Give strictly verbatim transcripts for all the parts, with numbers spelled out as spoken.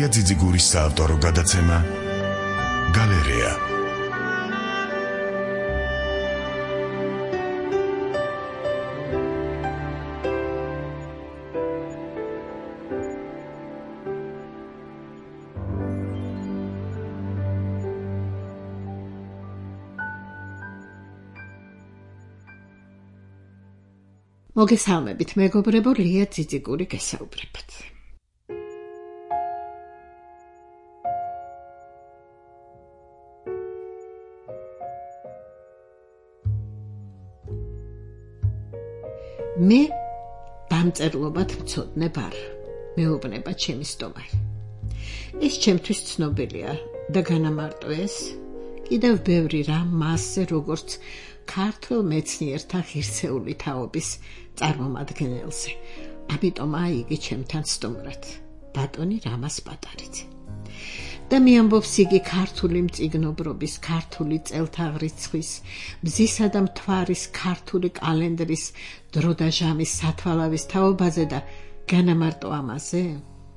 ლია ძიძიგურის საავტორო გადაცემა გალერეა. მოგესალმებით, მეგობრებო, ლია ძიძიგური გესაუბრებათ. მე დამწერლობად მცოდნე ვარ, მეუბნება ჩემი სტომარი. ეს ჩემთვის ცნობილია და განამარტო ეს კიდევ ბევრი რამ მასზე, როგორც ქართველ მეცნიერთა ღირსეული თაობის წარმომადგენელზე. ამიტომ აი იგი ჩემთან სტუმრად, ბატონი რამაზ პატარიძე. და მიამბობს იგი ქართული მწიგნობრობის, ქართული წელთაღრიცხვის, მზისა და მთვარის, ქართული კალენდრის, დრო და ჟამის სათვალავის თაობაზე და განამარტო ამაზე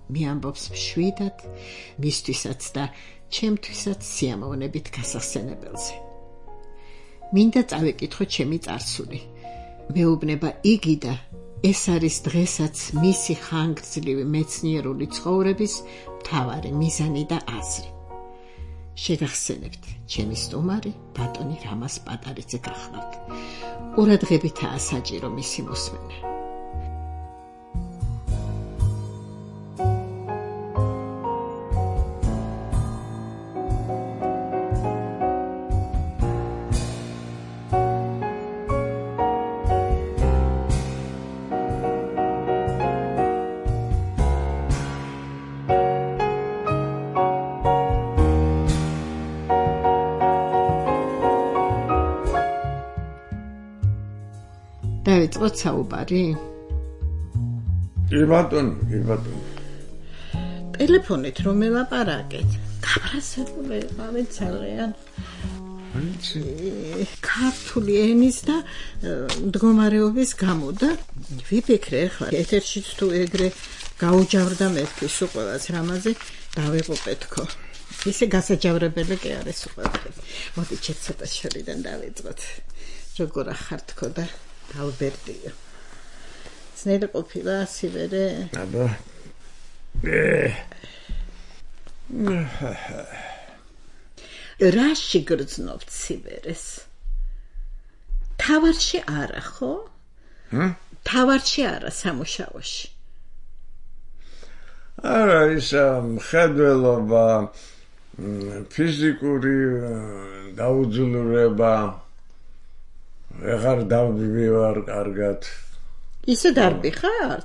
მიამბობს მშვიდად, მისთვისაც და ჩემთვისაც სიამოვნებით გასახსენებელზე. მინდა წავეკითხო ჩემი წარსული. მეუბნება იგი და ეს არის დღესაც მისი ხანგრძლივი მეცნიერული ცხოვრების მთავარი მიზანი და აზრი. შეგახსენებთ, ჩემი სტუმარი ბატონი რამაზ პატარიძე გახლავთ. ყურადღებითაა საჭირო მისი მოსმენა. დავიწყოთ საუბარი? კი ბატონო, კი ბატონო. ტელეფონით რომ ელაპარაკეთ, გაბრაზებული იყავი ძალიან. ქართული ენის და მდგომარეობის გამო და ვიფიქრე ახლა ეთერშიც თუ ეგრე გაუჯავრდა მეთქვის უყველას რამაზე დავიღუპეთქო. ისე გასაჯავრებელი კი არის უყველას. მოდი ჩეთ ცოტა შორიდან დავიწყოთ. როგორ ახართქო და ალბერტიო. ძნელი ყოფილა სიბერე? აბა. რაში გრძნობთ სიბერეს? თავარში არა, ხო? ჰმ? თავარში არა, სამუშაოში. არა, ის მხედველობა, ფიზიკური დაუძულურება, ვეღარ დავდივარ კარგად. ისე დარბი ხარ?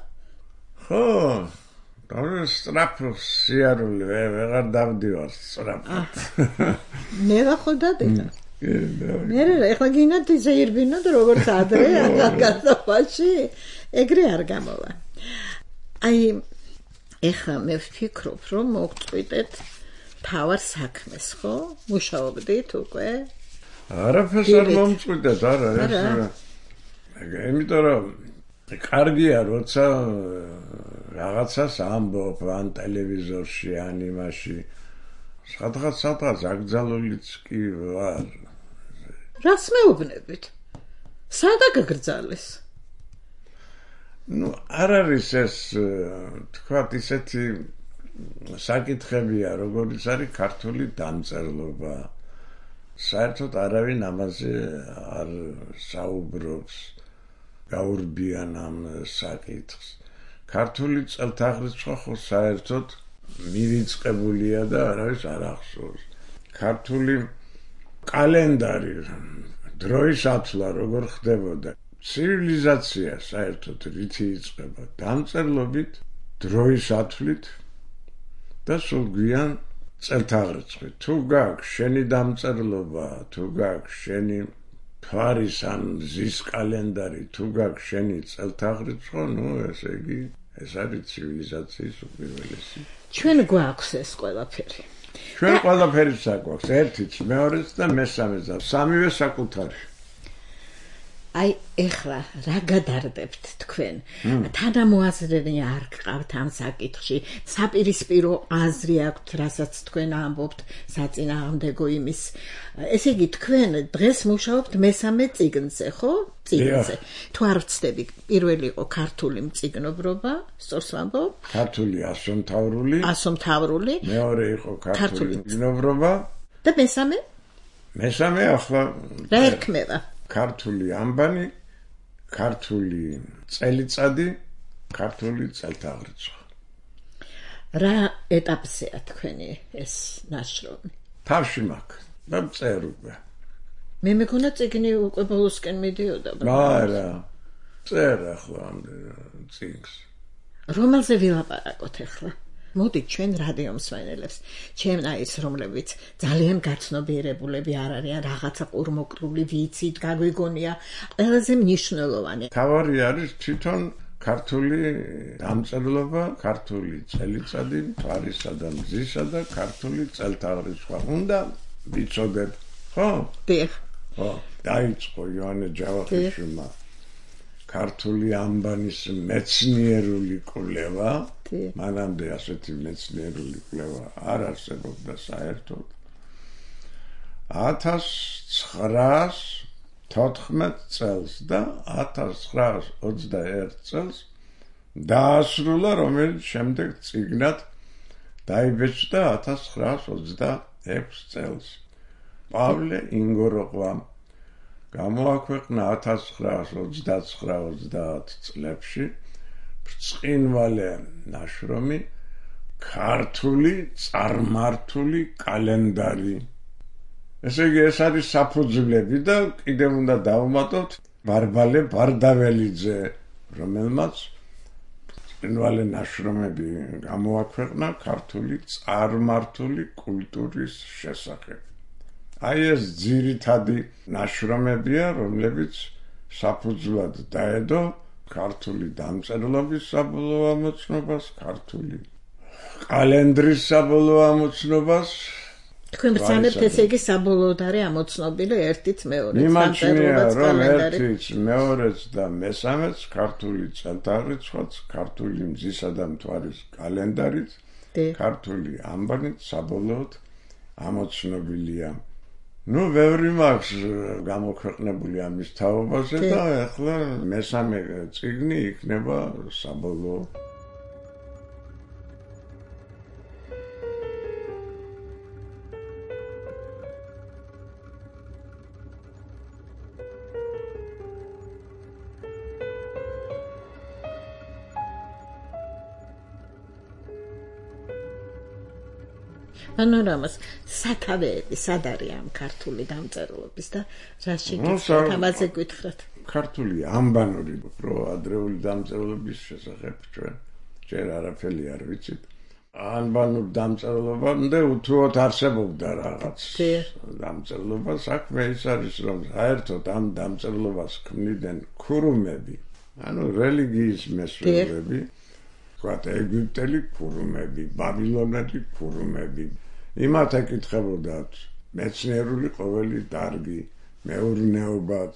ხო, და სტრაფ სიარული, ვეღარ დავდივარ სტრაფად. მე რა ხო დადედა? მე რა, ეხლა გინდათ ისე ირბინოთ როგორც ადრე ახალგაზრდობაში, ეგრე არ გამოვა. აი, ეხლა მე ვფიქრობ, რომ მოგწყვიტეთ თავარ საქმეს, ხო? მუშაობდით უკვე? არაფერს არ მომწყვიტეთ, არა, ეს იმიტომ რომ კარგია, როცა რაღაცას ამბობ ან ტელევიზორში, ან იმაში, სადღაც სადღაც აკრძალულიც კი ვარ. რას მეუბნებით? სადა გაგრძალეს? ნუ არ არის ეს, თქვათ, ისეთი საკითხებია, როგორიც არის ქართული დამწერლობა. საერთოდ არავინ ამაზე არ საუბრობს, გაურბიან ამ საკითხს. ქართული წელთაღრიცხვა ხო საერთოდ მივიწყებულია და არავის არ ახსოვს. ქართული კალენდარი, დროის ათვლა როგორ ხდებოდა, ცივილიზაცია საერთოდ რითი იწყება, დამწერლობით, დროის ათვლით და სულ გვიან წელთაღრიცხვით. თუ გაქვს შენი დამწერლობა, თუ გაქვს შენი მთვარის ან მზის კალენდარი, თუ გაქვს შენი წელთაღრიცხვა, ნუ ესე იგი ეს არის ცივილიზაციის უპირველესი. ჩვენ გვაქვს ეს ყველაფერი. ჩვენ ყველაფერიც აგვაქვს, ერთიც, მეორეც და მესამეც და სამივე საკუთარი. აი ეხლა რა გადარდებთ თქვენ? თანამოაზრენი არ გყავთ ამ საკითხში? საპირისპირო აზრი აქვთ, რასაც თქვენ ამბობთ საწინააღმდეგო იმის. ესე იგი თქვენ დღეს მუშაობთ მესამე წიგნზე, ხო? წიგნზე. თუ არ ვცდები, პირველი იყო ქართული მწიგნობრობა, სწორს ვამბობ? ქართული ასომთავრული. ასომთავრული. მეორე იყო ქართული მწიგნობრობა. და მესამე? მესამე ახლა რა ერქმევა? ქართული ამბანი, ქართული წელიწადი, ქართული წელთაღრიცხვა. რა ეტაპზეა თქვენი ეს ნაშრომი? თავში მაქვს და წერ უკვე. მე მეგონა წიგნი უკვე ბოლოსკენ მიდიოდა. არა, წერ ახლა ამ წიგნს. რომელზე ვილაპარაკოთ ახლა? მოდით ჩვენ რადიო მსმენელებს, ჩემნაირს, რომლებიც ძალიან გაცნობიერებულები არ არიან, რაღაცა ყურმოკრული ვიცით, გაგვიგონია, ყველაზე მნიშვნელოვანი. თავარი არის თვითონ ქართული დამწერლობა, ქართული წელიწადი, მთვარისა და მზისა და ქართული წელთაღრიცხვა. უნდა ვიცოდეთ, ხო? დიახ. ხო, დაიწყო იოანე ჯავახიშვილმა ქართული ამბანის მეცნიერული კვლევა. მანამდე ასეთი მეცნიერული კვლევა არ არსებობდა საერთოდ. ათას ცხრაას თოთხმეტ წელს და ათას ცხრაას ოცდაერთ წელს დაასრულა, რომელიც შემდეგ წიგნად დაიბეჭდა ათას ცხრაას ოცდაექვს წელს. პავლე ინგოროყვამ გამოაქვეყნა ათას ცხრაას ოცდაცხრა ოცდაათ წლებში ბრწყინვალე ნაშრომი ქართული წარმართული კალენდარი. ესე იგი ეს არის საფუძვლები და კიდევ უნდა დავუმატოთ ბარბალე ბარდაველიძე, რომელმაც ბრწყინვალე ნაშრომები გამოაქვეყნა ქართული წარმართული კულტურის შესახებ. აი ეს ძირითადი ნაშრომებია, რომლებიც საფუძვლად დაედო ქართული დამწერლობის საბოლოო ამოცნობას, ქართული კალენდრის საბოლოო ამოცნობას. თქვენ ბრძანებთ ესე იგი საბოლოოდ არის ამოცნობილი ერთიც მეორეც დამწერლობაც კალენდარი. ერთიც, მეორეც და მესამეც ქართული წელთაღრიცხვაც, ქართული მზისა და მთვარის კალენდარიც, ქართული ამბანიც საბოლოოდ ამოცნობილია. ნუ ბევრი მაქვს გამოქვეყნებული ამის თაობაზე და ახლა მესამე წიგნი იქნება საბოლოო. პანორამას სათავეები სად არის ამ ქართული დამწერლობის და რა შეგიძლიათ ამაზე გითხრათ? ქართული ამბანური პრო ადრეული დამწერლობის შესახებ ჩვენ ჯერ არაფერი არ ვიცით. ანბანურ დამწერლობამდე უთუოდ არსებობდა რაღაც დამწერლობა. საქმე ის არის, რომ საერთოდ ამ დამწერლობას ქმნიდნენ ქურუმები, ანუ რელიგიის მესვეურები, ვთქვათ, ეგვიპტელი ქურუმები, ბაბილონელი ქურუმები. იმათ ეკითხებოდათ მეცნიერული ყოველი დარგი, მეურნეობაც,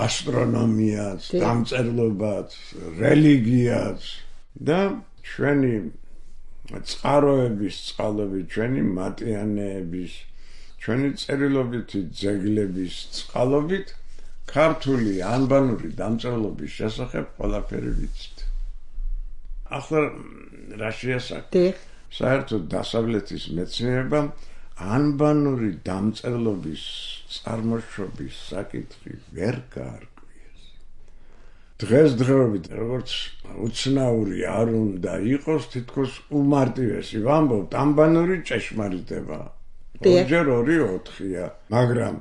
ასტრონომიაც, დამწერლობაც, რელიგიაც და ჩვენი წყაროების წყალობით, ჩვენი მატიანეების, ჩვენი წერილობითი ძეგლების წყალობით ქართული ანბანური დამწერლობის შესახებ ყველაფერი ვიცით. ახლა რა შეასაკეთ? საერთოდ დასავლეთის მეცნიერებამ ანბანური დამწერლობის წარმოშობის საკითხი ვერ გაარკვიეს. დღესდღეობით როგორც უცნაური არ უნდა იყოს, თითქოს უმარტივესი ვამბობთ, ანბანური ჭეშმარიტება. ორჯერ ორი ოთხია, მაგრამ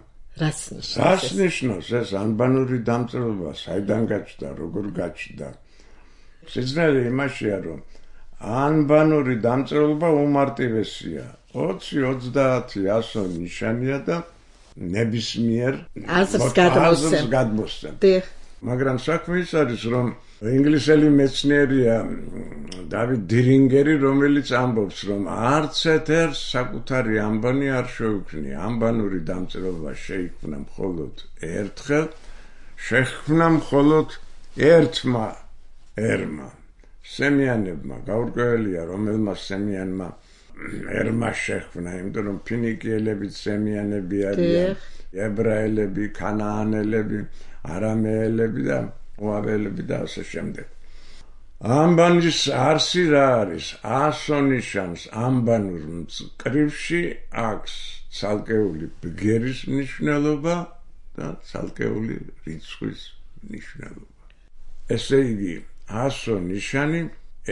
რას ნიშნავს ეს ანბანური დამწერლობა, საიდან გაჩნდა, როგორ გაჩნდა? სიძნელე იმაშია, რომ ანბანური დამწერლობა უმარტივესია. ოცი ოცდაათი ასო ნიშანია და ნებისმიერ აზრს გადმოსცემ. მაგრამ საქმე ის არის, რომ ინგლისელი მეცნიერია დავიდ დირინგერი, რომელიც ამბობს, რომ არც ერთ საკუთარი ანბანი არ შეუქმნია. ანბანური დამწერლობა შეიქმნა მხოლოდ ერთხელ შეხვნა მხოლოდ ერთმა ერმა სემიანებმა გაურკვეველია რომელმაც სემიანმა ერმა შეხვნა იმიტომ რომ ფინიკიელები სემიანები არიან ებრაელები ქანაანელები არამეელები და მოაბელები და ასე შემდეგ ამბანის არსი რა არის ასონიშანს ამბანურ მწკრივში აქვს ცალკეული ბგერის ნიშნულობა და ცალკეული რიცხვის ნიშნულობა ესე იგი ასონიშანი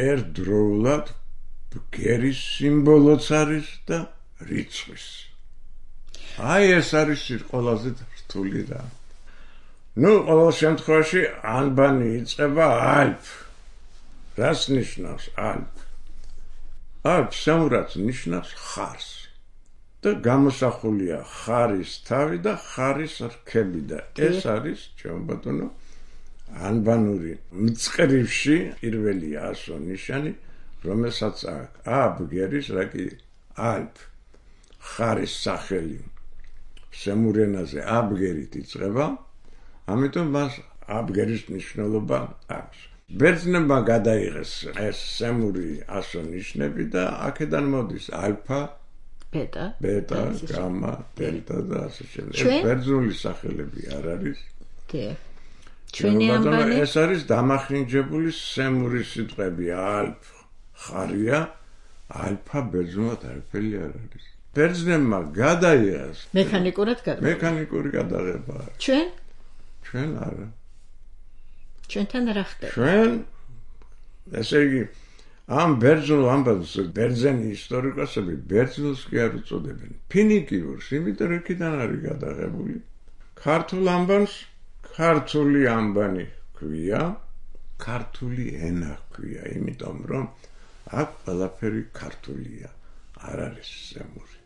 ერთდროულად ბგერის სიმბოლოც არის და რიცხვის აი ეს არის ყველაზე რთული რა ნუ ყოველ შემთხვევაში ანბანი იწყება ალფ რას ნიშნავს ალფ ალფ სამურაც ნიშნავს ხარს და გამოსახულია ხარის თავი და ხარის რქები და ეს არის ჩემო ბატონო ანბანური მწკრივში პირველი ასონიშანი რომელსაც აქვს ა ბგერის რა კი ალფ ხარის სახელი სემურენაზე ა ბგერით იწყება ამიტომ მას ა ბგერის მნიშვნელობა აქვს ბერძნებმა გადაიღეს ეს სემური ასონიშნები და აქედან მოდის ალფა ბეტა ბეტა გამა დელტა და ასე შემდეგ ეს ბერძნული სახელები არ არის ჩვენი ამბანი ეს არის დამახინჯებული სემური სიტყვები ალფ ხარია ალფა ბერძნულად არაფერი არ არის ბერძნებმა გადაიღეს მექანიკურად გადაიღეს მექანიკური გადაღება ჩვენ ჩვენ არა ჩვენთან რა ხდება ჩვენ ესე იგი ამ ბერძნულ ამბავს ბერძენი ისტორიკოსები ბერძნულს კი არ უწოდებენ ფინიკიურს იმიტომ რომ იქიდან არის გადაღებული ქართულ ამბავს ქართული ამბანი ქვია ქართული ენა ქვია იმიტომ რომ აქ ყველაფერი ქართულია არ არის სემური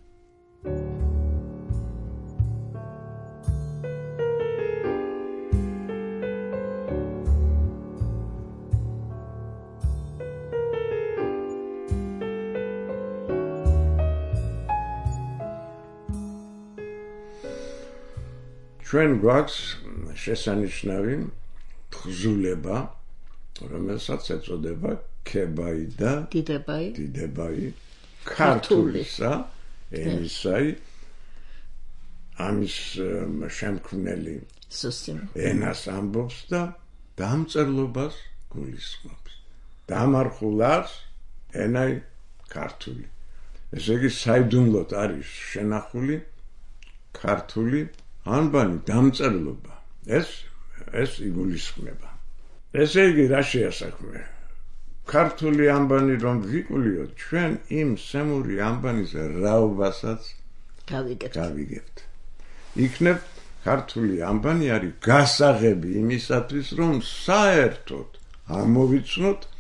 ჩვენ გვაქვს შესანიშნავი თხზულება რომელსაც ეწოდება ქებაი და დიდებაი დიდებაი ქართულისა ენისაი ამის შემქმნელი ენას ამბობს და დამწერლობას გულისხმობს დამარხულას ენაი ქართული ესე იგი საიდუმლოდ არის შენახული ქართული ანბანი დამწერლობა ეს ეს იგულისხმება ესე იგი რა შეასაქმე ქართული ანბანი რომ ვიკულიოთ ჩვენ იმ სემური ანბანის რაობასაც გავიგებთ გავიგებთ იქნებ ქართული ანბანი არის გასაღები იმისათვის რომ საერთოდ ამოვიცნოთ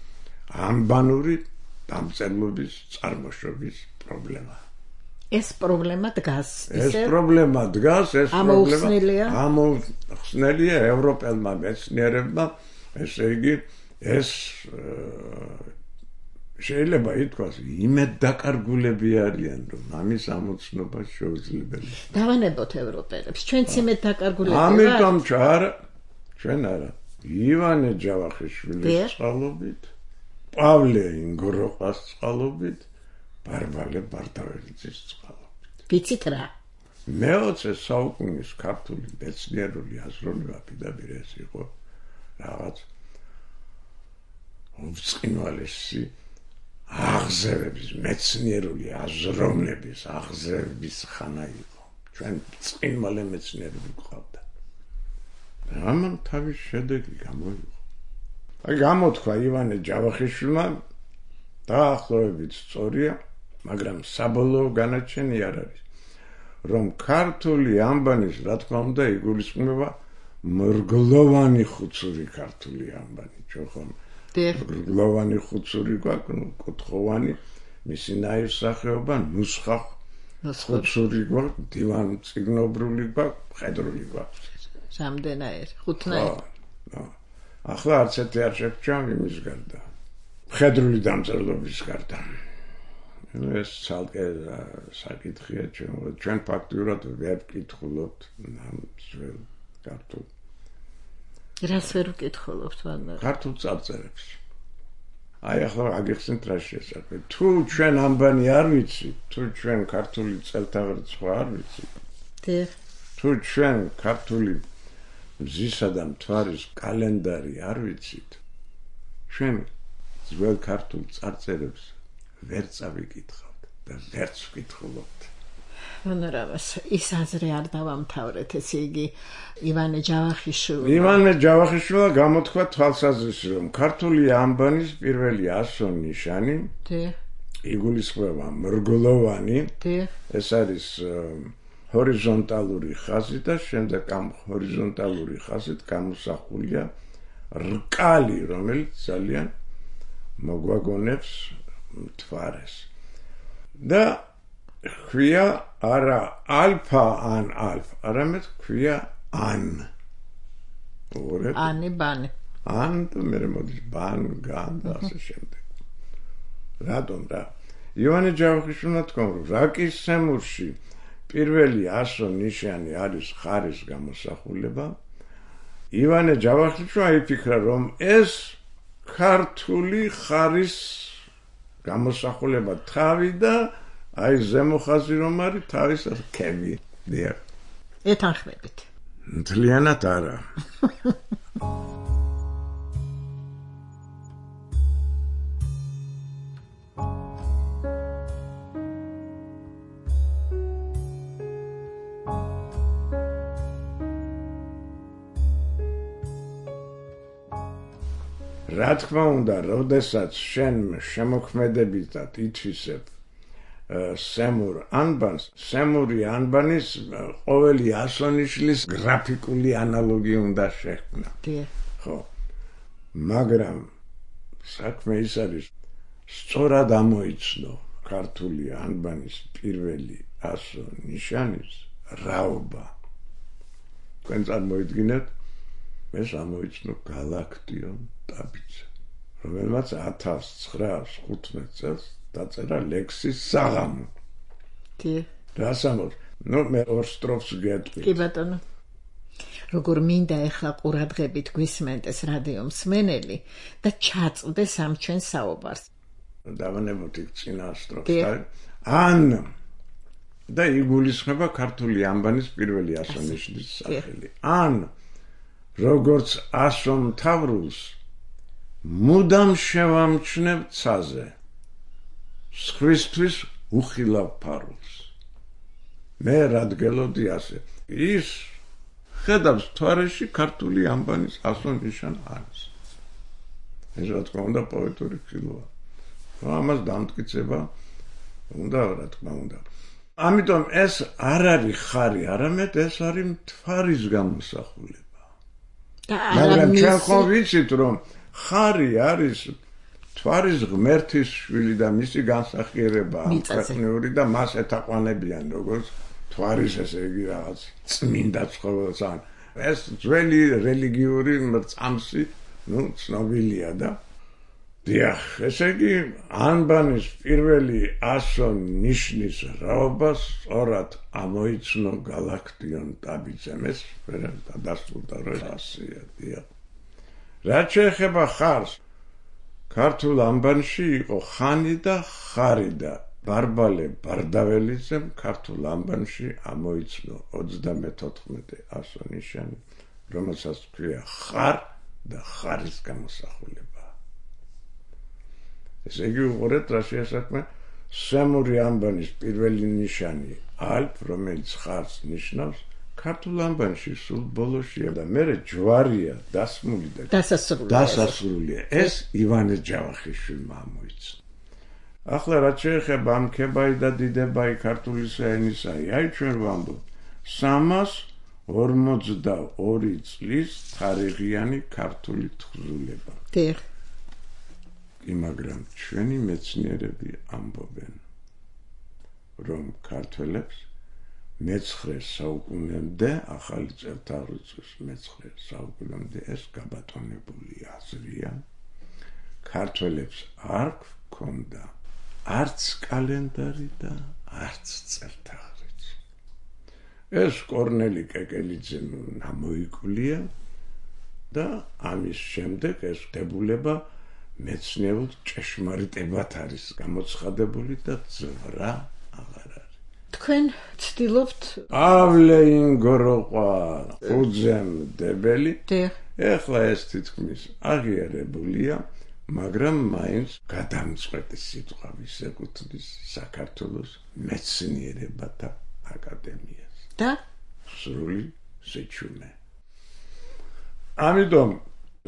ანბანური დამწერლობის წარმოშობის პრობლემა ეს პრობლემა დგას ეს პრობლემა დგას ეს პრობლემა ამოხსნელია ევროპელმა მეცნიერებმა ესე იგი ეს შეიძლება ითქვას იმედ დაკარგულები არიან რომ ამის ამოცნობა შეუძლებელია დავანებოთ ევროპელებს ჩვენც იმედ დაკარგულები ვართ ამიტომ ჩარა ჩვენ არა ივანე ჯავახიშვილის წყალობით პავლე ინგროყას წყალობით ბარბალე ბარდაველიძის წყალობით ვიცით რა მეოცე საუკუნის ქართული მეცნიერული აზროვნება პირდაპირ ეს იყო რაღაც უწყინვალესი აღზევების მეცნიერული აზროვნების აღზევების ხანა იყო ჩვენ წყინვალე მეცნიერები გვყავდა ამან თავის შედეგი გამოიღო აი გამოთქვა ივანე ჯავახიშვილმა დაახლოებით სწორია მაგრამ საბოლოო განაჩენი არ არის რომ ქართული ანბანის რა თქმა უნდა იგულისხმება მრგლოვანი ხუცური ქართული ანბანი ჩვენ მრგლოვანი ხუცური გვაქვს კუთხოვანი მისი ნაირსახეობა ნუსხა ხუცური გვაქვს დივანწიგნობრული გვაქვს მხედრული გვაქვს რამდენაერ ხუთნაერ ახლა არც ერთი არ შეგვჭამ იმის გარდა მხედრული დამწერლობის გარდა ეს ცალკე საკითხია ჩვენ ჩვენ ფაქტურად ვერ ვკითხულობთ ამ ძველ ქართულ რას ვერ ვკითხულობთ ვანდარ? ქართულ წარწერებს. აი ახლა აგიხსენთ რა შესაძლოა. თუ ჩვენ ამბანი არ ვიცით, თუ ჩვენ ქართული წელთაღრიცხვა არ ვიცით, დიახ. თუ ჩვენ ქართული მზისა და მთვარის კალენდარი არ ვიცით, ჩვენ ძველ ქართულ წარწერებს ვერ წავიკითხავთ და ვერც ვკითხულობთ. ვანარავას ის აზრი არ დავამთავრეთ, ესე იგი ივანე ჯავახიშვილმა ივანე ჯავახიშვილმა გამოთქვა თვალსაზრისი, რომ ქართული ამბანის პირველი ასო ნიშანი დიახ. იგულისხმება მრგლოვანი, დიახ. ეს არის ჰორიზონტალური ხაზი და შემდეგ ამ ჰორიზონტალური ხაზით გამოსახულია რკალი, რომელიც ძალიან მოგვაგონებს მთვარეს. და ქვია არა ალფა ან ალფა, არამედ ქვია ან. ანი ბანი. ან და მე მოდის ბან, გან და ასე შემდეგ. რატომ რა? ივანე ჯავახიშვილმა თქვა, რომ რაკის სემურში პირველი ასო ნიშანი არის ხარის გამოსახულება. ივანე ჯავახიშვილმა იფიქრა, რომ ეს ქართული ხარის გამოსახულება თავი და აი ზემო ხაზი რომ არის თავის რქები. დიახ. ეთანხმებით. მთლიანად არა. რა თქმა უნდა, როდესაც შენ შემოქმედებითად ითვისებ სემურ ანბანს, სემური ანბანის ყოველი ასონიშლის გრაფიკული ანალოგი უნდა შექმნა. ხო. მაგრამ საქმე ის არის, სწორად ამოიცნო ქართული ანბანის პირველი ასო ნიშანის რაობა. თქვენ წარმოიდგინეთ, მე ამოიცნო გალაქტიონ ტაბიძე, რომელმაც ათას ცხრაას ხუთმეტ წელს დაწერა ლექსის საღამო. კი. რასამორ, ნუ მე ორ სტროფს გეტყვი. კი ბატონო. როგორ მინდა ეხლა ყურადღებით გვისმენდეს რადიო მსმენელი და ჩაწყდეს ამ ჩვენ საუბარს. დავანებოთ იქ წინა სტროფს. ან და იგულისხმება ქართული ამბანის პირველი ასონიშნის სახელი. ან როგორც ასო მთავრულს მუდამ შევამჩნევ ცაზე, სხვისთვის უხილავ ფარულს. მე რადგელოდი ასე. ის ხედავს მთვარეში ქართული ამბანის ასო ნიშან არის. ეს რა თქმა უნდა პოეტური ხილვაა. ამას დამტკიცება უნდა, რა თქმა უნდა. ამიტომ ეს არ არის ხარი, არამედ ეს არის მთვარის გამოსახულება. მაგრამ ჩვენ ხომ ვიცით, რომ ხარი არის მთვარის ღმერთის შვილი და მისი განსახიერება ქვეყნიური და მას ეთაყვანებიან როგორც მთვარის, ესე იგი რაღაც წმინდა ცხოველს. ეს ძველი რელიგიური მრწამსი, ნუ ცნობილია და დიახ, ესე იგი ანბანის პირველი ასო ნიშნის რაობა სწორად ამოიცნო გალაქტიონ ტაბიძემ. ეს დასრულდა რომ ასეა. დიახ. რაც შეეხება ხარს, ქართულ ამბანში იყო ხანი და ხარი და ბარბალე ბარდაველიძემ ქართულ ამბანში ამოიცნო ოცდამეთოთხმეტე ასო ნიშანი, რომელსაც ქვია ხარ და ხარის გამოსახულება. ესე იგი უყურეთ რა შეასაქმე სემური ამბანის პირველი ნიშანი ალფ, რომელიც ხარს ნიშნავს, ქართულ ამბანში სულ ბოლოშია და მერე ჯვარია დასმული და დასასრულია. ეს ივანე ჯავახიშვილმა ამოიცნო. ახლა რაც შეეხება ამ ქებაი და დიდებაი ქართული ენისაი, აი ჩვენ ვამბობ სამას ორმოცდაორი წლის თარიღიანი ქართული თხზულება. დიახ. მაგრამ ჩვენი მეცნიერები ამბობენ, რომ ქართველებს მეცხრე საუკუნემდე, ახალი წელთაღრიცხვის მეცხრე საუკუნემდე ეს გაბატონებული აზრია, ქართველებს არ ჰქონდა არც კალენდარი და არც წელთაღრიცხვი. ეს კორნელი კეკელიძემ ამოიკვლია და ამის შემდეგ ეს დებულება მეცნიერულ ჭეშმარიტებად არის გამოცხადებული და ზღვრა აღარ არის. თქვენ ცდილობთ პავლე ინგოროყვა უძემდებელი. დიახ. ეხლა ეს თითქმის აღიარებულია, მაგრამ მაინც გადამწყვეტი სიტყვა ეკუთვნის საქართველოს მეცნიერებათა აკადემიას. და სრული სიჩუმე. ამიტომ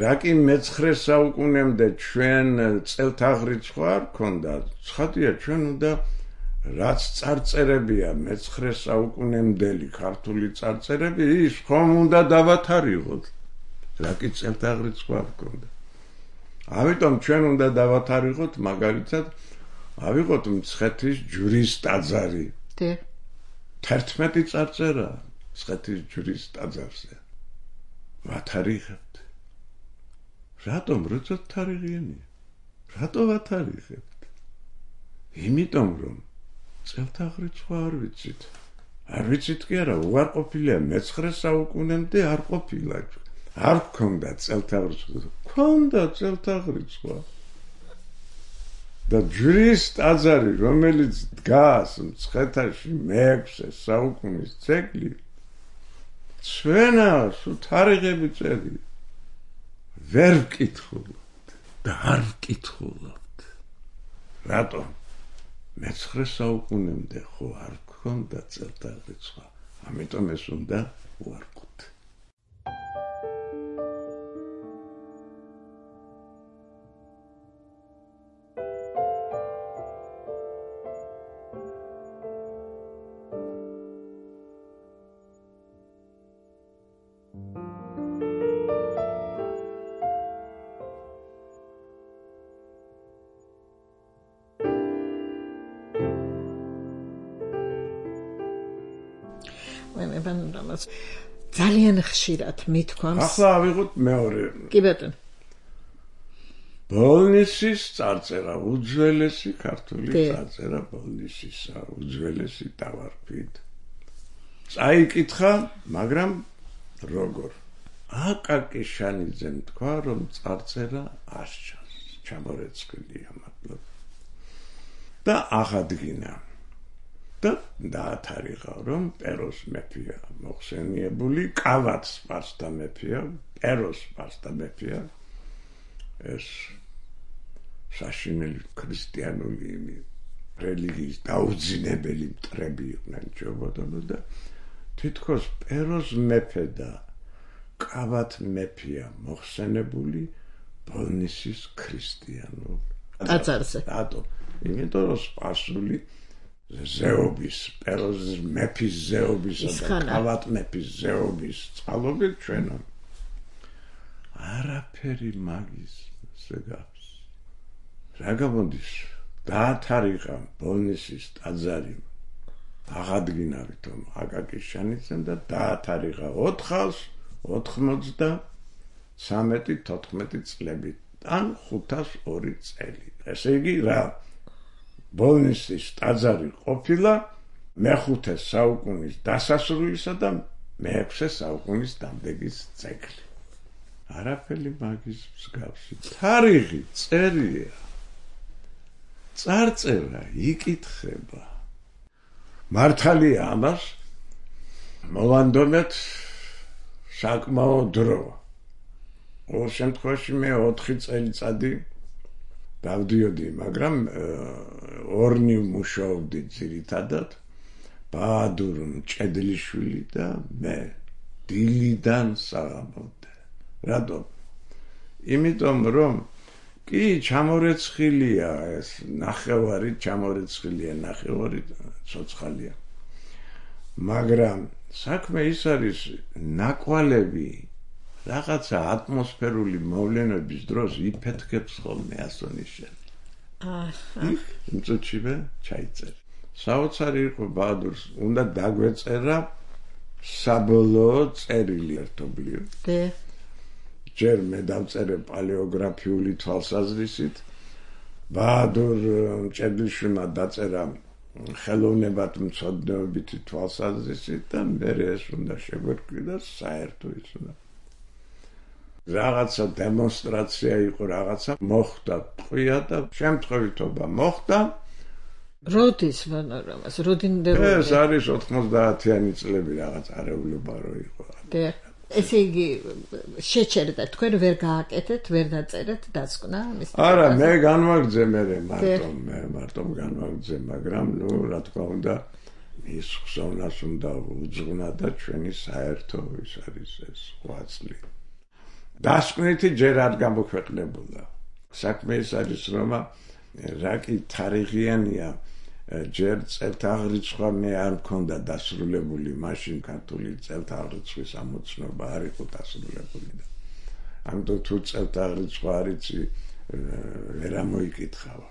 რა კი მეცხრე საუკუნემდე ჩვენ წელთაღრიცხვა არ ქონდა, ცხადია ჩვენ უნდა რაც წარწერებია მეცხრე საუკუნემდელი ქართული წარწერები, ის ხომ უნდა დავათარიღოთ. რა კი წელთაღრიცხვა არ ქონდა. ამიტომ ჩვენ უნდა დავათარიღოთ მაგალითად ავიღოთ მცხეთის ჯვრის ტაძარი. დიახ. თერთმეტი წარწერა მცხეთის ჯვრის ტაძარზე. ვათარიღებთ. რატომ როცა თარიღიანია? რატო ვათარიღებთ? იმიტომ რომ წელთაღრიცხვა არ ვიცით. არ ვიცით კი არა, უარყოფილია მეცხრე საუკუნემდე არ ყოფილა. არ გქონდა წელთაღრიცხვა. გქონდა წელთაღრიცხვა. და ჯვრის ტაძარი, რომელიც დგას მცხეთაში მეექვსე საუკუნის ძეგლი, ჩვენას თარიღები წერია. ვერ ვკითხულობთ და არ ვკითხულობთ. რატომ? მეცხრე საუკუნემდე ხო არ გქონდა წელთაღრიცხვა. ამიტომ ეს უნდა უარყოთ. ძალიან ხშირად მithქვამს. ახლა ავიღოთ მეორე. კი ბატონო. ბოლნისის წარწერა, უძველესი ქართული წარწერა ბოლნისისა, უძველესი დავარქვით. წაიკითხა, მაგრამ როგორ? აკაკი შანიძემ თქვა, რომ წარწერა არ ჩანს, ჩამორეცხილია მადლობა. და აღადგინა. და დაათარიღა, რომ პეროს მეფეა მოხსენიებული, კავათ სპარსთა მეფეა, პეროს სპარსთა მეფეა. ეს საშინელი ქრისტიანული რელიგიის დაუძინებელი მტრები იყვნენ ჯობოდონო და თითქოს პეროს მეფე და კავათ მეფეა მოხსენებული ბოლნისის ქრისტიანულ ტაძარზე. რატო? იმიტომ რომ სპარსული ზეობის, პეროს მეფის ზეობის და კავათ მეფის ზეობის წყალობით ჩვენ არაფერი მაგის ზეგავს. რა გამოდის? დაათარიღა ბოლნისის ტაძარი. აღადგინა ვითომ აკაკი შანიძემ და დაათარიღა ოთხას ოცდამეცხრე თოთხმეტი წლებით ან ხუთას ორი წელი. ესე იგი რა? ბოლნისის ტაძარი ყოფილა მეხუთე საუკუნის დასასრულისა და მეექვსე საუკუნის დამდეგის ძეგლი. არაფერი მაგის მსგავსი. თარიღი წერია. წარწერა იკითხება. მართალია ამას მოვანდომეთ საკმაო დრო. ყოველ შემთხვევაში მე ოთხი წელიწადი დავდიოდი, მაგრამ ორნი მუშაობდი ძირითადად, ბაადურ მჭედლიშვილი და მე დილიდან საღამომდე. რატომ? იმიტომ რომ კი ჩამორეცხილია ეს ნახევარი, ჩამორეცხილია ნახევარი ცოცხალია. მაგრამ საქმე ის არის ნაკვალევი რაღაცა ატმოსფერული მოვლენების დროს იფეთქებს ხოლმე ასონიშენ. აჰა. იმწუჩივე ჩაიწერე. საოცარი იყო ბაადურს, უნდა დაგვეწერა საბოლოო წერილი ერთობლივ. დე. ჯერ მე დავწერე პალეოგრაფიული თვალსაზრისით. ბაადურ მჭედლიშვილმა დაწერა ხელოვნებად მცოდნეობითი თვალსაზრისით და მე ეს უნდა შეგვერკვი და საერთო ის უნდა რაღაცა დემონსტრაცია იყო, რაღაცა მოხდა, ტყვია და შემთხვევითობა მოხდა. როდის პანორამას, როდინდელო? ეს არის ოთხმოცდაათიანი წლები რაღაც არეულობა რო იყო. დიახ. ესე იგი შეჩერდა, თქვენ ვერ გააკეთეთ, ვერ დაწერეთ დასკვნა ამის? არა, მე განვაგრძე მე მარტო, მე მარტო განვაგრძე, მაგრამ ნუ რა თქმა უნდა ის ხსოვნას უნდა უძღვნა და ჩვენი საერთო ის არის ეს ღვაწლი. დასკვნითი ჯერ არ გამოქვეყნებულა. საქმე ის არის, რომ რა კი თარიღიანია, ჯერ წელთაღრიცხვა მე არ მქონდა დასრულებული, მაშინ ქართული წელთაღრიცხვის ამოცნობა არ იყო დასრულებული და ამიტომ თუ წელთაღრიცხვა არ იცი ვერ ამოიკითხავა.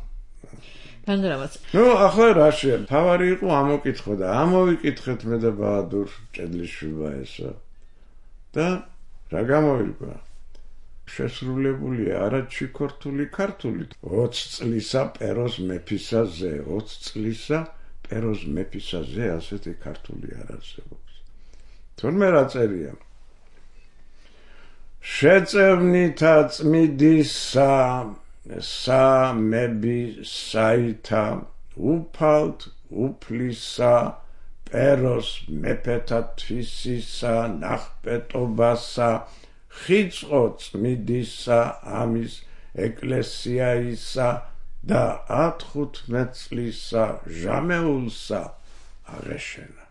პანორამას. ნუ ახლა რა შეიძლება? თავარი იყო ამოკითხო და ამოვიკითხეთ მე და ბაადურ ჭედლიშვილმა ესა და რა გამოირკვა? შესრულებულია არა ჩიქორთული ქართული. ოცი წლისა პეროს მეფისაზე, ოცი წლისა პეროს მეფისაზე ასეთი ქართული არ არსებობს. თორმე რა წერია? შეწევნითა წმიდისა სამები საითა უფალთ უფლისა პეროს მეფეთა თვისისა ნახპეტობასა ხიწყო წმიდისა ამის ეკლესიაისა და ათხუთმეტ წლისა ჟამეულსა აღეშენა.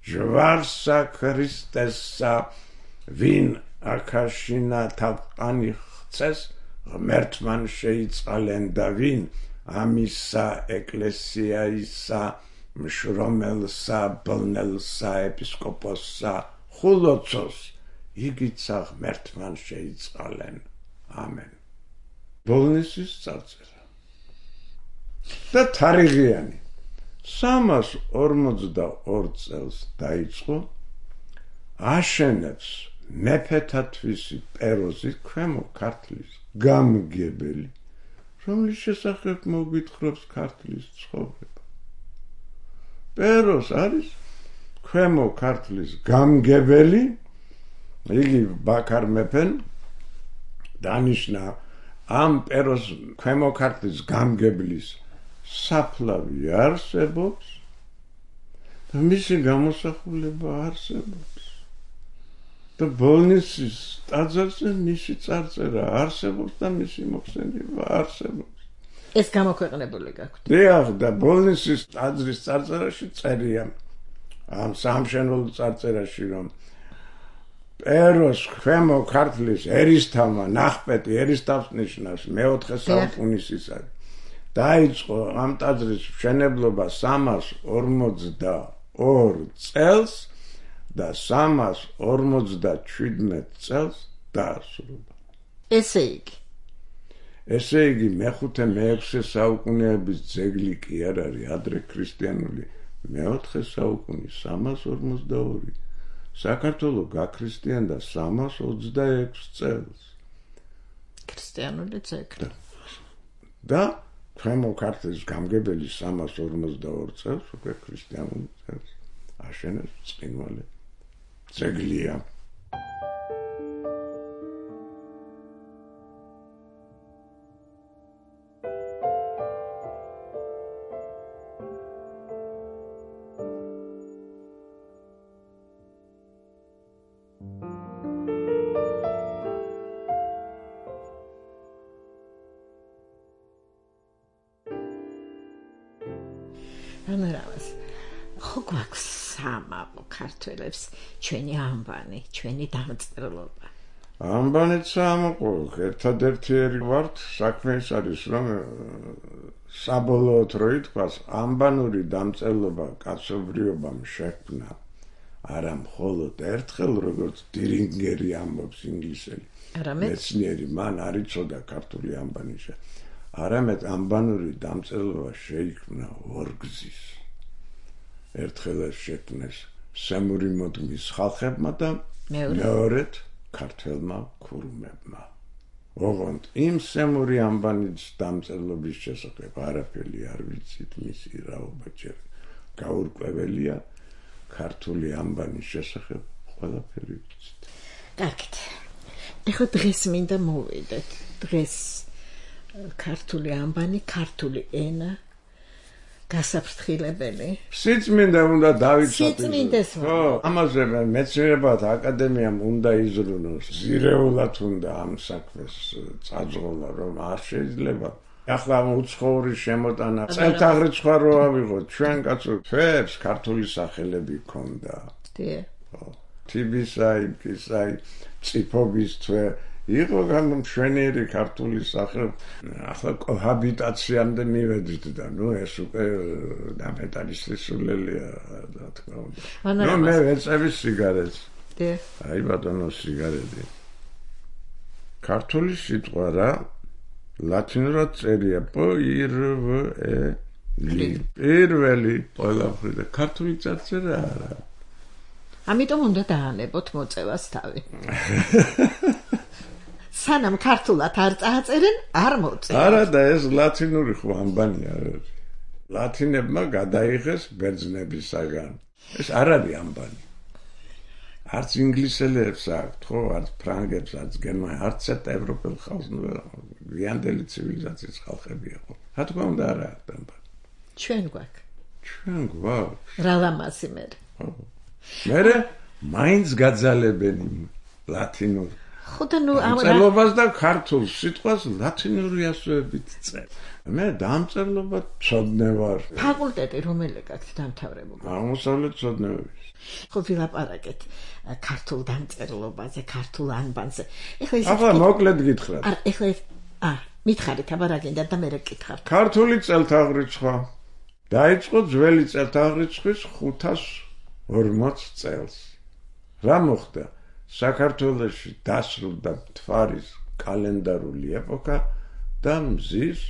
ჯვარსა ქრისტესა ვინ აქაშინა თავყანი ხცეს ღმერთმან შეიწყალენ და ვინ ამისა ეკლესიაისა მშრომელსა ბლნელსა ეპისკოპოსსა ხულოცოს იგიცა ღმერთმან შეიწყალენ. ამენ. ბოლნისის წარწერა. და თარიღიანი. სამას ორმოცდაორ წელს დაიწყო აშენებს მეფეთა თვისი პეროზი ქვემო ქართლის გამგებელი, რომლის შესახებ მოგვითხრობს ქართლის ცხოვრება. პეროს არის ქვემო ქართლის გამგებელი, იგი ბაქარ მეფენ დანიშნა ამ პეროს ქვემო ქართლის გამგებლის საფლავი არსებობს და მისი გამოსახულება არსებობს და ბოლნისის ტაძარზე მისი წარწერა არსებობს და მისი მოხსენება არსებობს. ეს გამოქვეყნებული გაქვთ? დიახ, და ბოლნისის ტაძრის წარწერაში წერია ამ სამშენებლო წარწერაში, რომ პეროს ქვემო ქართლის ერისთავმა ნახპეტი, ერისთავს ნიშნავს მეოთხე საუკუნის ის არის. დაიწყო ამ ტაძრის მშენებლობა სამას ორმოცდაორ წელს და სამას ორმოცდაჩვიდმეტ წელს დაასრულა. ესე იგი ესე იგი მეხუთე მეექვსე საუკუნეების ძეგლი კი არ არის, ადრე ქრისტიანული მეოთხე საუკუნის სამას ორმოცდაორი. საქართველო გაქრისტიანდა სამას ოცდაექვს წელს. ქრისტიანული ძეგლი. და ქვემო ქართლის გამგებელი სამას ორმოცდაორ წელს უკვე ქრისტიანული წელს აშენებს წყინვალე ძეგლია. პანორამას. ხო გვაქვს სამაყო ქართველებს ჩვენი ამბანი, ჩვენი დამწერლობა. ამბანიც სამაყო, ერთადერთი ვართ, საქმე ის არის, რომ საბოლოოდ რო ითქვას, ამბანური დამწერლობა კაცობრიობამ შექმნა არა მხოლოდ ერთხელ, როგორც დინგერი ამბობს ინგლისელი. არამედ მეცნიერი მან არ იცოდა ქართული ამბანი შე. არამედ ამბანური დამწერლობა შეიქმნა ორგზის. ერთხელ შექმნეს სემური მოდმის ხალხებმა და მეორედ ქართველმა ქურუმებმა. ოღონდ იმ სემური ამბანის დამწერლობის შესახებ არაფერი არ ვიცით, მისი რაობა ჯერ გაურკვეველია, ქართული ამბანის შესახებ ყველაფერი ვიცით. კარგით. ეხლა დღეს მინდა მოვიდეთ. დღეს ქართული ამბანი, ქართული ენა გასაფრთხილებელი. სიწმინდე უნდა დავიცვათ. სიწმინდეს ვარ. ხო, ამაზე მეცნიერებათა აკადემიამ უნდა იზრუნოს. ზირეულად უნდა ამ საქმეს წაძღოლა, რომ არ შეიძლება. ახლა უცხოური შემოტანა წელთაღრიცხვა რო ავიღოთ, ჩვენ კაცო ფებს ქართული სახელები ქონდა. დიახ. ხო. თიბისაი, კისაი, წიფობის თვე იყო განმშვენიერი ქართული სახელი. ახლა კოჰაბიტაციამდე მივედით და ნუ ეს უკვე დამეტალისისულელია, რა თქმა უნდა. ნუ მე ვეწევი სიგარეტს. დიახ. აი ბატონო სიგარეტი. ქართული სიტყვა რა ლათინურად წერია პ ი რ ვ ე ლი. პირველი ყველაფრიდან ქართული წარწერა არა. ამიტომ უნდა დაანებოთ მოწევას თავი. სანამ ქართულად არ წააწერენ, არ მოწევ. არა და ეს ლათინური ხო ამბანი არ არის. ლათინებმა გადაიღეს ბერძნებისაგან. ეს არ არის ამბანი. არც ინგლისელებს აქვთ, ხო, არც ფრანგებს, არც გერმანელებს, არც ერთ ევროპელ ხალხს, გვიანდელი ცივილიზაციის ხალხებია ხო. რა თქმა უნდა არა აქვს ამბანი. ჩვენ გვაქვს. ჩვენ გვაქვს. რა ლამაზი მე. ხო. მერე მაინც გაძალებენი ლათინურ ხო და ნუ ამ დამწერლობას და ქართულ სიტყვას ლათინური ასოებით წერ. მე დამწერლობა ცოდნე ვარ. ფაკულტეტი რომელი გაქვთ დამთავრებული? აღმოსავლეთ ცოდნეების. ხო ვილაპარაკეთ ქართულ დამწერლობაზე, ქართულ ანბანზე. ეხლა ის ახლა მოკლედ გითხრათ. არა, ეხლა ა, მითხარით აბა რა გინდა და მე რა გითხართ. ქართული წელთაღრიცხვა დაიწყო ძველი წელთაღრიცხვის ხუთას ორმოც წელს. რა მოხდა? საქართველოში დასრულდა მთვარის კალენდარული ეპოქა და მზის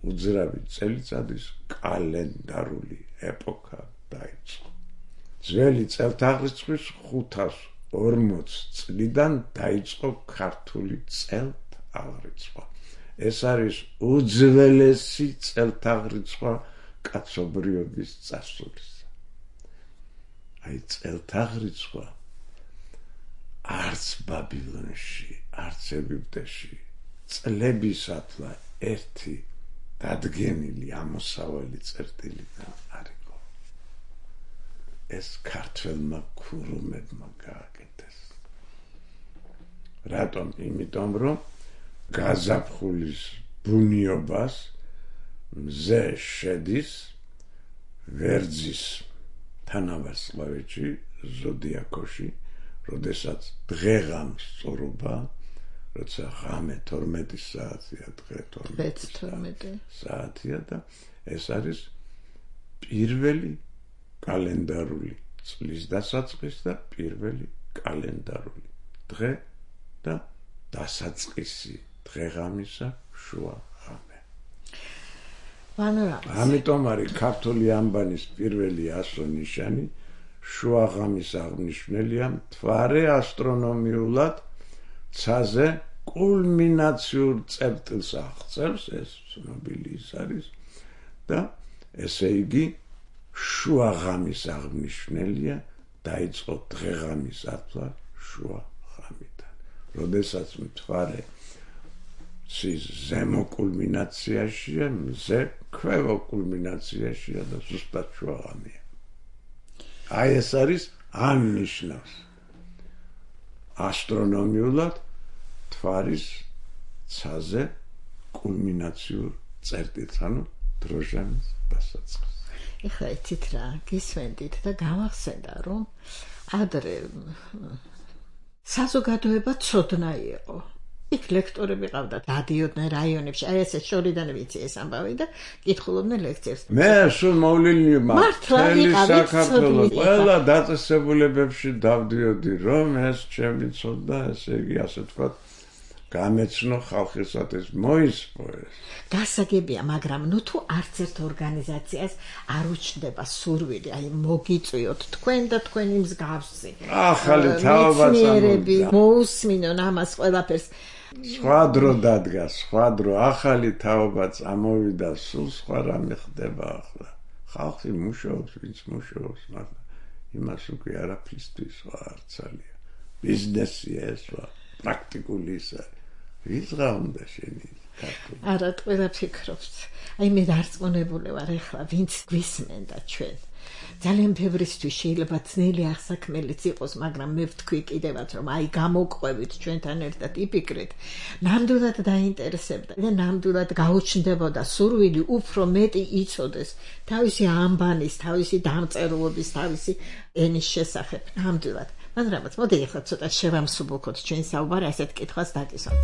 უძრავი წელიწადის კალენდარული ეპოქა დაიწყო. ძველი წელთაღრიცხვის ხუთას ორმოც წლიდან დაიწყო ქართული წელთაღრიცხვა. ეს არის უძველესი წელთაღრიცხვა კაცობრიობის წარსულისა. აი წელთაღრიცხვა არც ბაბილონში, არც ეგვიპტეში წლებისათლა ერთი დადგენილი ამოსავალი წერტილიდან არ იყო. ეს ქართველმა ქურუმებმა გააკეთეს. რატომ? იმიტომ რომ გაზაფხულის ბუნიობას მზე შედის ვერძის თანავარსკვლავედში, ზოდიაქოში, როდესაც დღეღამის სწორობა, როცა ღამე თორმეტი საათია, დღე თორმეტი საათია და ეს არის პირველი კალენდარული წლის დასაწყის და პირველი კალენდარული დღე და დასაწყისი დღეღამისა შუა ღამე. ამიტომ არის ქართული ამბანის პირველი ასო-ნიშანი შუა ღამის აღნიშნულია მთვარე ასტრონომიულად ცაზე კულმინაციურ წერტილს აღწევს, ეს ცნობილი ის არის და ესე იგი შუა ღამის აღნიშნულია დაიწყო დღეღამის ათვლა შუა ღამიდან. როდესაც მთვარე ცის ზემო კულმინაციაშია, მზე ქვევო კულმინაციაშია და ზუსტად შუა ღამეა. აი ეს არის აღნიშნავს ასტრონომიულად მთვარის ცაზე კულმინაციურ წერტილს, ანუ დროჟამის დასაწყისს. ეხლა იცით რა, გისმენდით და გამახსენდა, რომ ადრე საზოგადოება ცოდნა იყო. იქ ლექტორები ყავდათ, დადიოდნენ რაიონებში, აი ესე შორიდან ვიცი ეს ამბავი და კითხულობდნენ ლექციებს. მე სულ მოვლილი მართლა ვიყავით ცოდნი. ყველა დაწესებულებებში დავდიოდი, რომ ეს ჩემი ცოდნა, ესე იგი ასე თქვა, გამეცნო ხალხისათვის მოისპო ეს. გასაგებია, მაგრამ ნუ თუ არც ერთ ორგანიზაციას არ უჩნდება სურვილი, აი მოგიწვიოთ თქვენ და თქვენი მსგავსი. ახალი თაობაც მოусმინონ ამას ყველაფერს. სხვა დრო დადგა, სხვა დრო, ახალი თაობა წამოვიდა, სულ სხვა რამე ხდება ახლა. ხალხი მუშაობს, ვინც მუშაობს, მაგრამ იმას უკვე არაფრისთვის სხვა არ ცალია. ბიზნესია ეს სხვა. პრაქტიკული ის არის. ვიღა უნდა შენი ქართული. არა, ყველა ფიქრობს. აი მე დარწმუნებული ვარ ეხლა, ვინც გვისმენდა ჩვენ. ძალიან ბევრისთვის შეიძლება ძნელი აღსაქმელიც იყოს, მაგრამ მე ვთქვი კიდევაც, რომ აი გამოყვებით ჩვენთან ერთად იფიქრეთ, ნამდვილად დაინტერესებდა და ნამდვილად გაუჩნდებოდა სურვილი უფრო მეტი იცოდეს თავისი ამბანის, თავისი დამწერლობის, თავისი ენის შესახებ, ნამდვილად. მაგრამ მოდი ახლა ცოტა შევამსუბუქოთ ჩვენ საუბარი, ასეთ კითხვას დაკისოთ.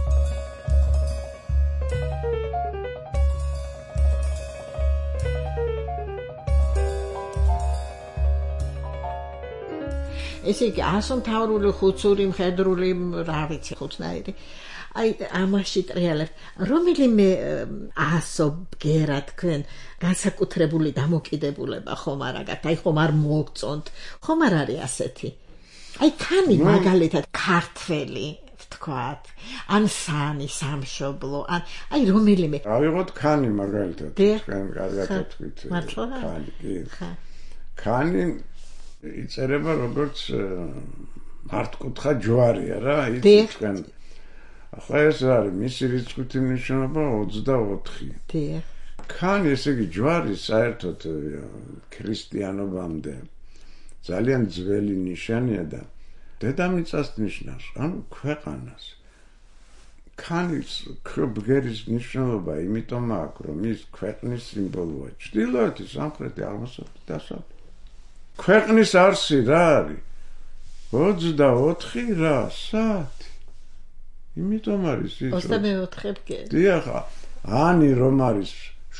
ესე იგი, ასომთავრული, ხუცური, მხედრული, რა ვიცი, ხუთნაირი. აი, ამაში ტრიალებ. რომელიმე ასო ბგერა თქვენ განსაკუთრებული დამოკიდებულება ხომ არ აგათ? აი, ხომ არ მოგწონთ? ხომ არ არის ასეთი? აი, ქანი მაგალითად ქართველი, ვთქვათ, ან სანი, სამშობლო, ან აი რომელიმე. ავიღოთ ქანი მაგალითად. თქვენ კარგად თქვით. მართლა? ქანი, კი. ქანი იწერება როგორც მართკუთხა ჯვარია რა, ის თქვენ. ახლა ეს არის მისი რიცხვი მნიშვნელობა ოცდაოთხი. დიახ. ქანი, ესე იგი ჯვარი საერთოდ ქრისტიანობამდე ძალიან ძველი ნიშანია და დედამიწას ნიშნავს, ანუ ქვეყანას. ქანის ბგერის მნიშვნელობა იმიტომ აქვს, რომ ის ქვეყნის სიმბოლოა. ჩრდილოეთი, სამხრეთი, აღმოსავლეთი, დასავლეთი. ქვეყნის არსი რა არის? ოცდაოთხი რა საათი. იმიტომ არის ის. ოცდამეოთხე ბგერი. დიახ, ანი რომ არის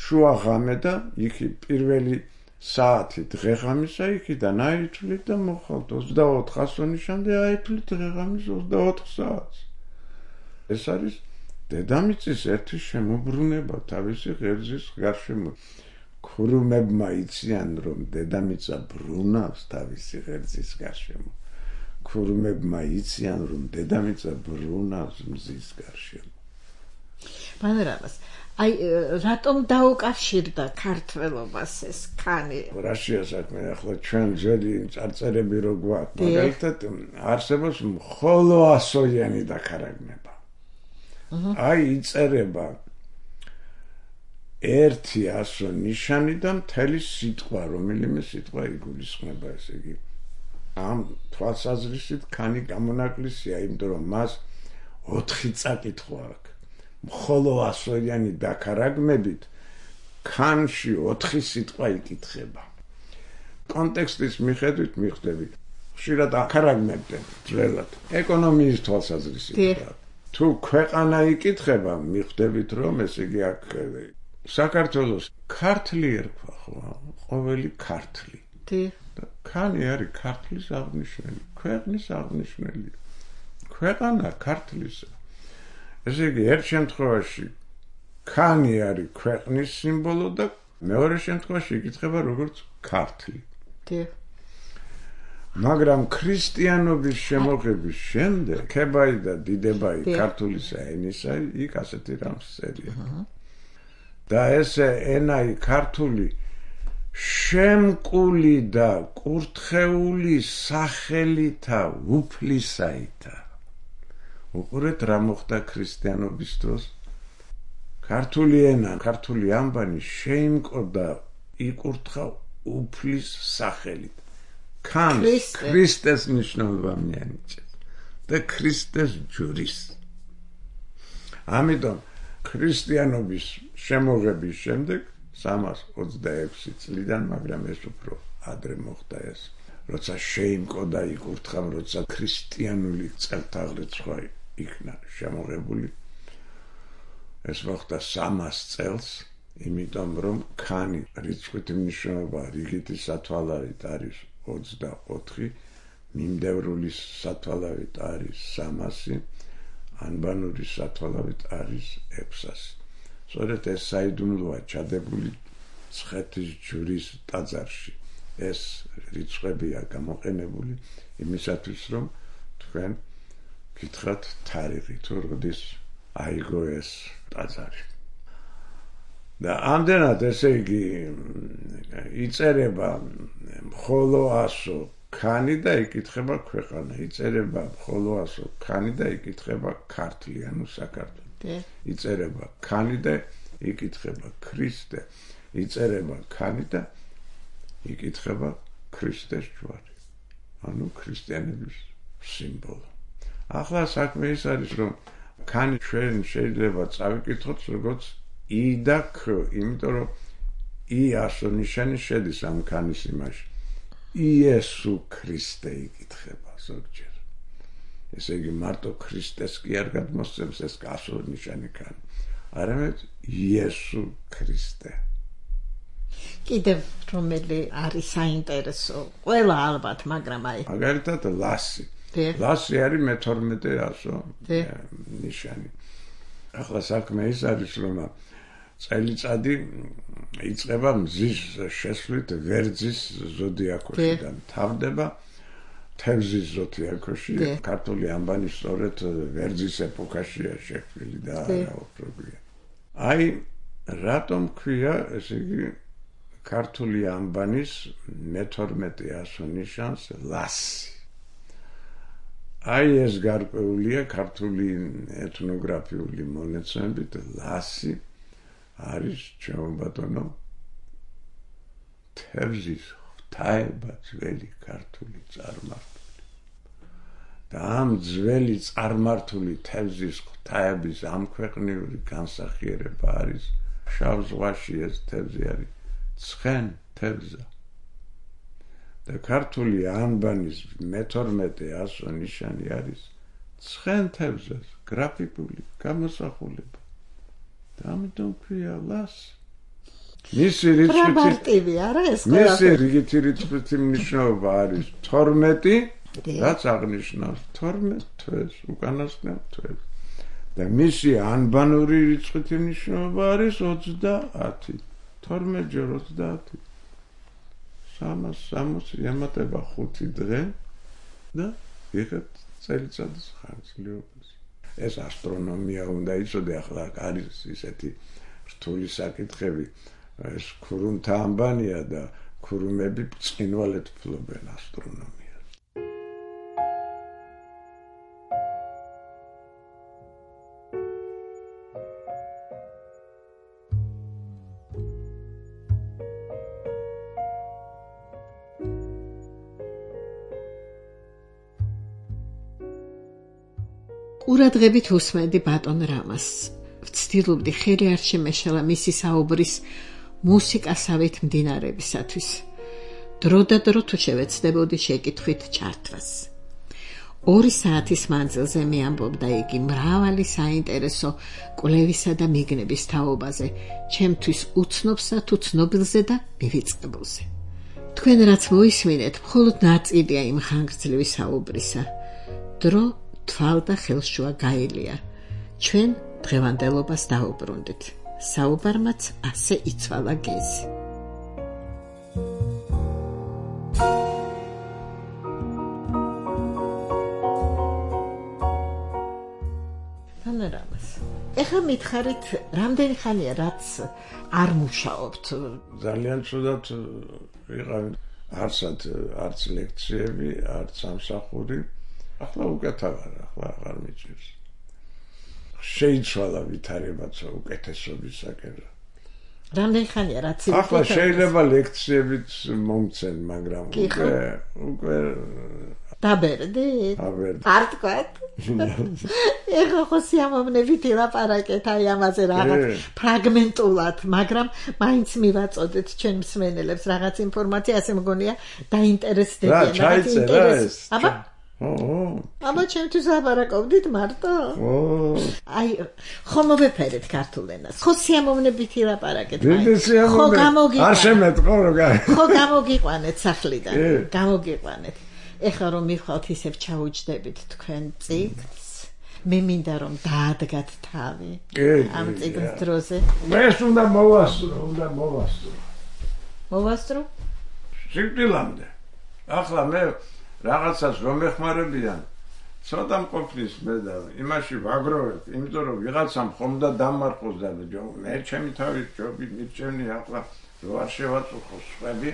შუა ღამე და იქი პირველი საათი დღეღამისა იქიდან აითვლით და მოხალთ ოცდაოთხ ასონიშამდე აითვლით დღეღამის ოცდაოთხ საათს. ეს არის დედამიწის ერთი შემოbrunება თავისი ღერძის გარშემო. ქურუმებმა იციან, რომ დედამიწა ბრუნავს თავისი ღერძის გარშემო. ქურუმებმა იციან, რომ დედამიწა ბრუნავს მზის გარშემო. ბანერამას აი რატომ დაუკავშირდა ქართველობას ეს ქანი? რაშია საქმე, ახლა ჩვენ ძველი წარწერები რო გვაქვს, მაგალითად არსებობს მხოლო ასოიანი დაქარაგნება. აი იწერება ერთი ასო ნიშანი და მთელი სიტყვა, რომელიმე სიტყვა იგულისხმება, ესე იგი. ამ თვალსაზრისით ქანი გამონაკლისია, იმიტომ რომ მას ოთხი წაკითხვა აქვს. მხოლო ასოიანი დაქარაგმებით ქანში ოთხი სიტყვა იკითხება. კონტექსტის მიხედვით მიხვდები, ხშირად აქარაგმებდნენ ძველად ეკონომიის თვალსაზრისით. თუ ქვეყანა იკითხება, მიხვდებით რომ ესე იგი აქ საქართველოს ქართლი ერქვა ხო, ყოველი ქართლი. ქანი არის ქართლის აღნიშნელი, ქვეყნის აღნიშნელი. ქვეყანა ქართლისა. ესე იგი, ერთ შემთხვევაში ქანი არის ქვეყნის სიმბოლო და მეორე შემთხვევაში იკითხება როგორც ქართლი. მაგრამ ქრისტიანობის შემოღების შემდეგ, ქებაი და დიდებაი ქართულისა ენისა, იქ ასეთი რამს წერია. და ესე ენაი ქართული შემკული და კურთხეული სახელითა უფლისაითა. უყურეთ რა მოხდა ქრისტიანობის დროს. ქართული ენა, ქართული ამბანი შეიმკო და იკურთხა უფლის სახელით. ქანს ქრისტეს ნიშნობა მიანიჭეს და ქრისტეს ჯვრის. ამიტომ ქრისტიანობის შემოღების შემდეგ სამას ოცდაექვსი წლიდან, მაგრამ ეს უფრო ადრე მოხდა ეს, როცა შეიმკო და იკურთხა, როცა ქრისტიანული წელთაღრიცხვა იქნა შემოღებული. ეს მოხდა სამას წელს, იმიტომ რომ ქანი რიცხვით მნიშვნელობა რიგითი სათვალავით არის ოცდაოთხი, მიმდევრული სათვალავით არის სამასი, ანბანური სათვალავით არის ექვსასი. სწორედ ეს საიდუმლოა ჩადებული ცხეთის ჯვრის ტაძარში. ეს რიცხვებია გამოყენებული იმისათვის, რომ თქვენ გითხრათ თარიღი, თუ როდის აიგო ეს ტაძარი. და ამდენად, ესე იგი, იწერება მხოლო ასო ქანი და იკითხება ქვეყანა. იწერება ხოლოასო ქანი და იკითხება ქართლი, ანუ საქართველო. იწერება ქანი და იკითხება ქრისტე. იწერება ქანი და იკითხება ქრისტეს ჯვარი. ანუ ქრისტიანების სიმბოლო. ახლა საქმე ის არის, რომ ქანი ჩვენ შეიძლება წავიკითხოთ როგორც ი და ქ, იმიტომ რომ ი ასონიშანი შედის ამ ქანის იმაში. იესუ ქრისტე იკითხება ზოგჯერ. ესე იგი მარტო ქრისტეს კი არ გადმოსცემს ეს ასონიშანი ქანი. არამედ იესუ ქრისტე. კიდევ რომელი არის საინტერესო, ყველა ალბათ, მაგრამ აი. მაგალითად ლასი. ლასი არის მეთორმეტე ასო ნიშანი. ახლა საქმე ის არის, რომ წელიწადი იწყება მზის შესვლით ვერძის ზოდიაქოსიდან. თავდება თევზის ზოდიაქოში. ქართული ამბანი სწორედ ვერძის ეპოქაშია შექმნილი და არა ოქროგვია. აი რატომ ქვია, ესე იგი ქართული ამბანის მეთორმეტე ასო ნიშანს ლასი. აი ეს გარკვეულია ქართული ეთნოგრაფიული მონაცემებით ლასი არის ჩემო ბატონო თევზის ღვთაება ძველი ქართული წარმართული. და ამ ძველი წარმართული თევზის ღვთაების ამქვეყნიური განსახიერება არის შავ ზღვაში ეს თევზი არის ცხენ თევზა. და ქართული ანბანის მეთორმეტე ასო ნიშანი არის ცხენ თევზას გრაფიკული გამოსახულება. და ამიტომ ქვია ლასი. მისი რიცხვი არა ეს მისი რიცხვი მნიშვნელობა არის თორმეტი, რაც აღნიშნავს თორმეტ თვეს, უკანასკნელ თვეს. და მისი ანბანური რიცხვი მნიშვნელობა არის ოცდაათი. თორმეტ ჯერ ოცდაათი. სამას სამოცი ემატება ხუთი დღე და იღებთ წელიწადის ხანგრძლივობას. ეს ასტრონომია უნდა იცოდე, ახლა არის ისეთი რთული საკითხები, ეს ქურუმთა ამბანია და ქურუმები ბრწყინვალედ ფლობენ ასტრონომიას. ყურადღებით უსმენდი ბატონ რამას. ვცდილობდი ხელი არ შემეშალა მისი საუბრის მუსიკასავით მდინარებისათვის. დრო და დრო თუ შევეცდებოდი შეკითხვით ჩართვას. ორი საათის მანძილზე მეამბობდა იგი მრავალი საინტერესო კვლევისა და მიგნების თაობაზე, ჩემთვის უცნობსა თუ ცნობილზე და მივიწყებულზე. თქვენ რაც მოისმინეთ, მხოლოდ ნაწილია იმ ხანგრძლივი საუბრისა. დრო თვალ და ხელშუა გაელია. ჩვენ დღევანდელობას დაუბრუნდით. საუბარმაც ასე იცვალა გეზი. თანერამას. ეხლა მითხარით, რამდენი ხანია რაც არ მუშაობთ? ძალიან ცუდად ვიყავ, არცად არც ლექციები, არც სამსახური. ახლა უკეთავარ, ახლა აღარ მიჭირს. შეიცვალა ვითარებაც უკეთესობისაკენ. რამდენი ხანია რაც ახლა შეიძლება ლექციებიც მომცენ, მაგრამ უკვე უკვე დაბერდით? დაბერდით. არ თქვათ? ეხლა ხო სიამოვნებით ილაპარაკეთ აი ამაზე რაღაც ფრაგმენტულად, მაგრამ მაინც მივაწოდეთ ჩვენ მსმენელებს რაღაც ინფორმაცია, ასე მგონია დაინტერესდებიან. რა ჩაიწერა ეს? აბა ო, აბა ჩემთვის ლაპარაკობდით მარტო? ო. აი, ხო მოვეფერეთ ქართულ ენას. ხო სიამოვნებით ილაპარაკეთ. ხო გამოგიყვანეთ. არ შემეთყო რა. ხო გამოგიყვანეთ სახლიდან. გამოგიყვანეთ. ეხლა რომ მივხვალთ ისევ ჩაუჯდებით თქვენ წიგნს, მე მინდა რომ დაადგათ თავი ამ წიგნის დროზე. ეს უნდა მოვასწრო, უნდა მოვასწრო. მოვასწრო? სიკვდილამდე. ახლა მე რაღაცას რომ ეხმარებიან, ცოტა მყოფნის მე და იმაში ვაგროვებ, იმიტომ რომ ვიღაცამ ხომ და დამარხოს და მე ჩემი თავის ჯობი მირჩენი ახლა რო არ შევაწუხო სხვები,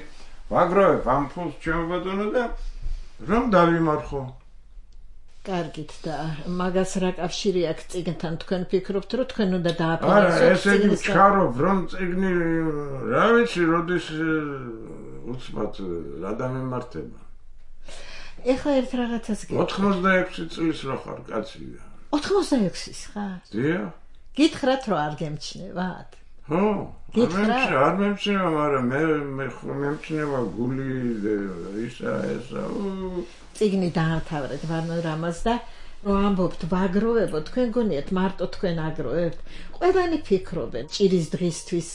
ვაგროვებ ამ ფულს ჩემო ბატონო და რომ დავიმარხო. კარგით და მაგას რა კავშირი აქვს წიგნთან თქვენ ფიქრობთ რომ თქვენ უნდა არა, დააფინანსოთ ესე იგი ჩქარობ რომ წიგნი რა ვიცი როდის უცბად რა დამემართება. ეხლა ერთ რაღაცას გეტყვი. ოთხმოცდაექვსი წლის რო ხარ კაცი. ოცდაექვსის ხარ? დიახ. გითხრათ რომ არ გემჩნევათ? ხო, არ memჩნევა, მაგრამ მე მე memჩნევა გული ისა ესა. წიგნი დაამთავრეთ ვარნო რამაზ და რომ ამბობთ ვაგროვებო, თქვენ გონიათ მარტო თქვენ აგროვებთ? ყველანი ფიქრობენ ჭირის დღისთვის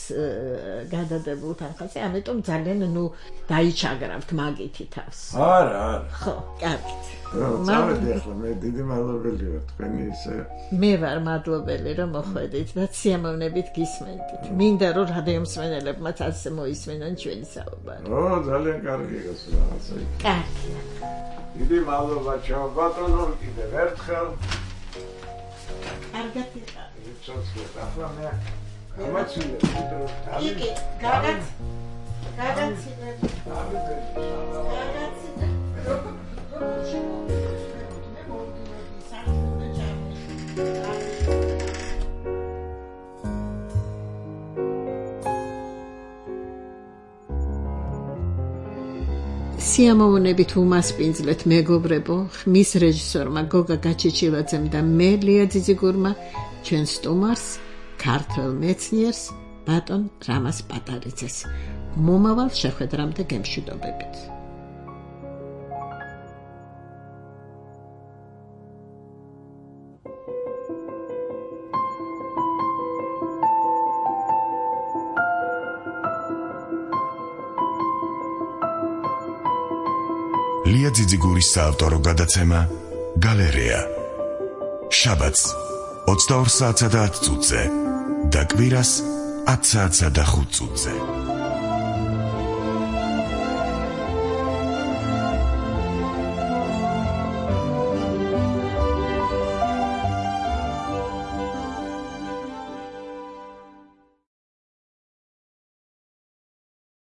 გადადებულ თანხაზე, ამიტომ ძალიან ნუ დაიჩაგრავთ მაგითი თავს. არა, არა. ხო, კარგით. წავედი ახლა მე დიდი მადლობელი ვარ თქვენი ისე. მე ვარ მადლობელი რომ მოხვედით და სიამოვნებით გისმენთ. მინდა რომ რადიო მსმენელებმაც ასე მოისმენონ ჩვენი საუბარი. ო, ძალიან კარგი გასა რაღაცა. კარგი. დიდი მადლობა ჩაო ბატონო კიდევ ერთხელ. კარგად იყავ. ვიცოცხლეთ ახლა მე გამაცილე იგი გადაც გადაცილე გადაცილე სიამოვნებით უმასპინძლეთ მეგობრებო, ხმის რეჟისორმა გოგა გაჩეჩილაძემ და მე ლია ძიძიგურმა ჩვენ სტუმარს, ქართველ მეცნიერს, ბატონ რამაზ პატარიძეს. მომავალ შეხვედრამდე გემშვიდობებით. ლია ძიძიგურის საავტორო გადაცემა გალერეა. შაბათს ოცდაორ საათსა და ათ წუთზე და კვირას ათ საათსა და ხუთ წუთზე.